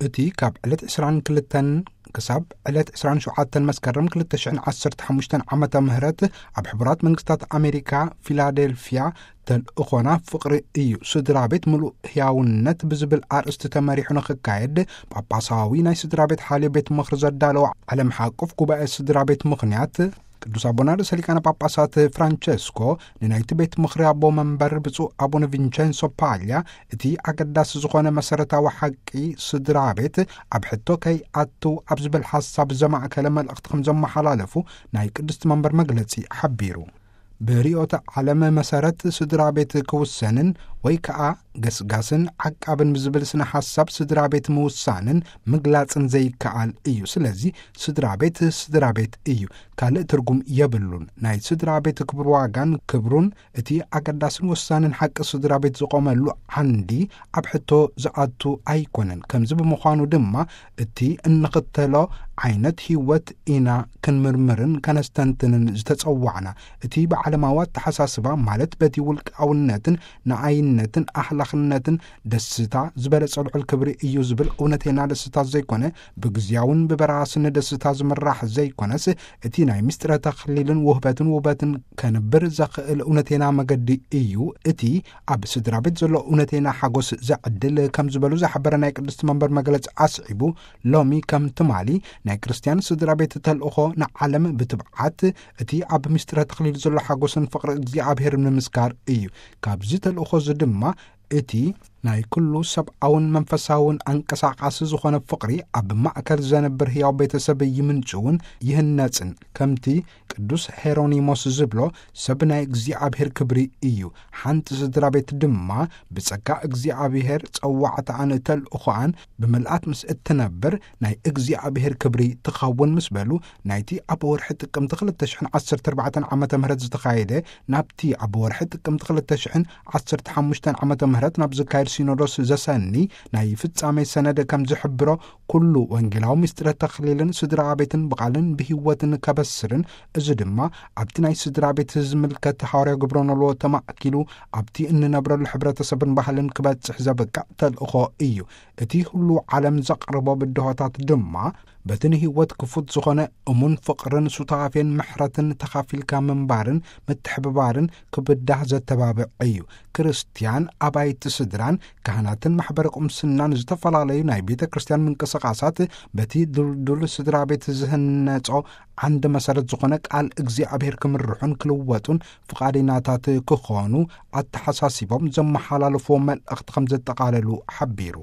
እቲ ካብ ዕለት ዕስራን ክልተን ክሳብ ዕለት ዕስራን ሸውዓተን መስከረም ክልተ ሽሕን ዓሰርተ ሓሙሽተን ዓመተ ምህረት ኣብ ሕቡራት መንግስታት ኣሜሪካ ፊላዴልፊያ ተልእኾና ፍቕሪ እዩ፣ ስድራ ቤት ምሉእ ህያውነት ብዝብል ኣርእስቲ ተመሪሑ ንኽካየድ ጳጳሳዊ ናይ ስድራ ቤት ሓልዮ ቤት ምኽሪ ዘዳለወ ዓለም ሓቁፍ ጉባኤ ስድራ ቤት ምኽንያት ቅዱስ ኣቦና ርእሰ ሊቃነ ጳጳሳት ፍራንቸስኮ ንናይቲ ቤት ምኽሪ ኣቦ መንበር ብፁዕ ኣቡነ ቪንቸንሶ ፓልያ እቲ ኣገዳሲ ዝኾነ መሰረታዊ ሓቂ ስድራ ቤት ኣብ ሕቶ ከይኣቱ ኣብ ዝብል ሓሳብ ዘማእከለ መልእኽቲ ከም ዘመሓላለፉ ናይ ቅድስቲ መንበር መግለጺ ሓቢሩ። ብርዮተ ዓለም መሰረት ስድራ ቤት ክውሰንን ወይ ከኣ ገስጋስን ዓቃብን ብዝብል ስነ ሓሳብ ስድራ ቤት ምውሳንን ምግላጽን ዘይከኣል እዩ። ስለዚ ስድራ ቤት ስድራ ቤት እዩ፣ ካልእ ትርጉም የብሉን። ናይ ስድራ ቤት ክብር ዋጋን ክብሩን እቲ ኣገዳስን ወሳንን ሓቂ ስድራ ቤት ዝቖመሉ ዓንዲ ኣብ ሕቶ ዝኣቱ ኣይኮነን። ከምዚ ብምዃኑ ድማ እቲ እንኽተሎ ዓይነት ህይወት ኢና ክንምርምርን ከነስተንትንን ዝተጸዋዕና። እቲ ብዓለማዊ ኣተሓሳስባ ማለት በቲ ውልቃውነትን ንኣይነትን ኣህላኽነትን ደስታ ዝበለጸ ልዑል ክብሪ እዩ ዝብል እውነተና ደስታ ዘይኮነ፣ ብግዚያውን ብበራስን ደስታ ዝምራሕ ዘይኮነስ እቲ ናይ ምስጢረ ተኽሊልን ውህበትን ውበትን ከንብር ዘኽእል እውነተና መገዲ እዩ። እቲ ኣብ ስድራ ቤት ዘሎ እውነተና ሓጎስ ዘዕድል ከም ዝበሉ ዝሓበረ ናይ ቅድስቲ መንበር መግለጺ ኣስዒቡ፣ ሎሚ ከም ትማሊ ናይ ክርስትያን ስድራ ቤት ተልእኾ ንዓለም ብትብዓት እቲ ኣብ ምስጢረ ተኽሊል ዘሎ ሓጎስን ፍቕሪ እግዚኣብሔር ንምስካር እዩ። ካብዚ ተልእኾ እዚ ድማ እቲ ናይ ኩሉ ሰብኣውን መንፈሳውን ኣንቀሳቓሲ ዝኾነ ፍቕሪ ኣብ ማእከል ዘንብር ህያው ቤተሰብ ይምንጭውን ይህነጽን፣ ከምቲ ቅዱስ ሄሮኒሞስ ዝብሎ፣ ሰብ ናይ እግዚኣብሔር ክብሪ እዩ። ሓንቲ ስድራ ቤት ድማ ብጸጋ እግዚኣብሔር ጸዋዕታኣን ተልእኾኣን ብምልኣት ምስ እትነብር ናይ እግዚኣብሔር ክብሪ ትኸውን ምስ በሉ፣ ናይቲ ኣብ ወርሒ ጥቅምቲ ክልተ ሽሕን ዓሰርተ ኣርባዕተን ዓመተ ምህረት ዝተኻየደ ናብቲ ኣብ ወርሒ ጥቅምቲ ክልተ ሽሕን ዓሰርተ ሓሙሽተን ዓመተ ምህረት ናብ ዝካየድ ሲኖዶስ ዘሰኒ ናይ ፍጻሜ ሰነድ ከም ዝሕብሮ፣ ኩሉ ወንጌላዊ ምስጢረ ተኽሊልን ስድራ ቤትን ብቓልን ብህይወትን ከበስርን፣ እዚ ድማ ኣብቲ ናይ ስድራ ቤት ዝምልከት ሃዋርያዊ ግብረ ኖልዎ ተማእኪሉ ኣብቲ እንነብረሉ ሕብረተሰብን ባህልን ክበጽሕ ዘብቅዕ ተልእኾ እዩ። እቲ ኩሉ ዓለም ዘቕርቦ ብድሆታት ድማ በቲ ንህይወት ክፉት ዝኾነ እሙን ፍቕርን ሱታፌን ምሕረትን ተኻፊልካ ምንባርን ምትሕብባርን ክብዳህ ዘተባብዕ እዩ። ክርስትያን ኣባይቲ ስድራን ካህናትን ማሕበረ ቁምስናን ዝተፈላለዩ ናይ ቤተ ክርስትያን ምንቅስቓሳት በቲ ድልዱል ስድራ ቤት ዝህነጾ ዓንዲ መሰረት ዝኾነ ቃል እግዚኣብሔር ክምርሑን ክልወጡን ፍቓድናታት ክኾኑ ኣተሓሳሲቦም ዘመሓላለፍዎ መልእኽቲ ከም ዘጠቓለሉ ሓቢሩ።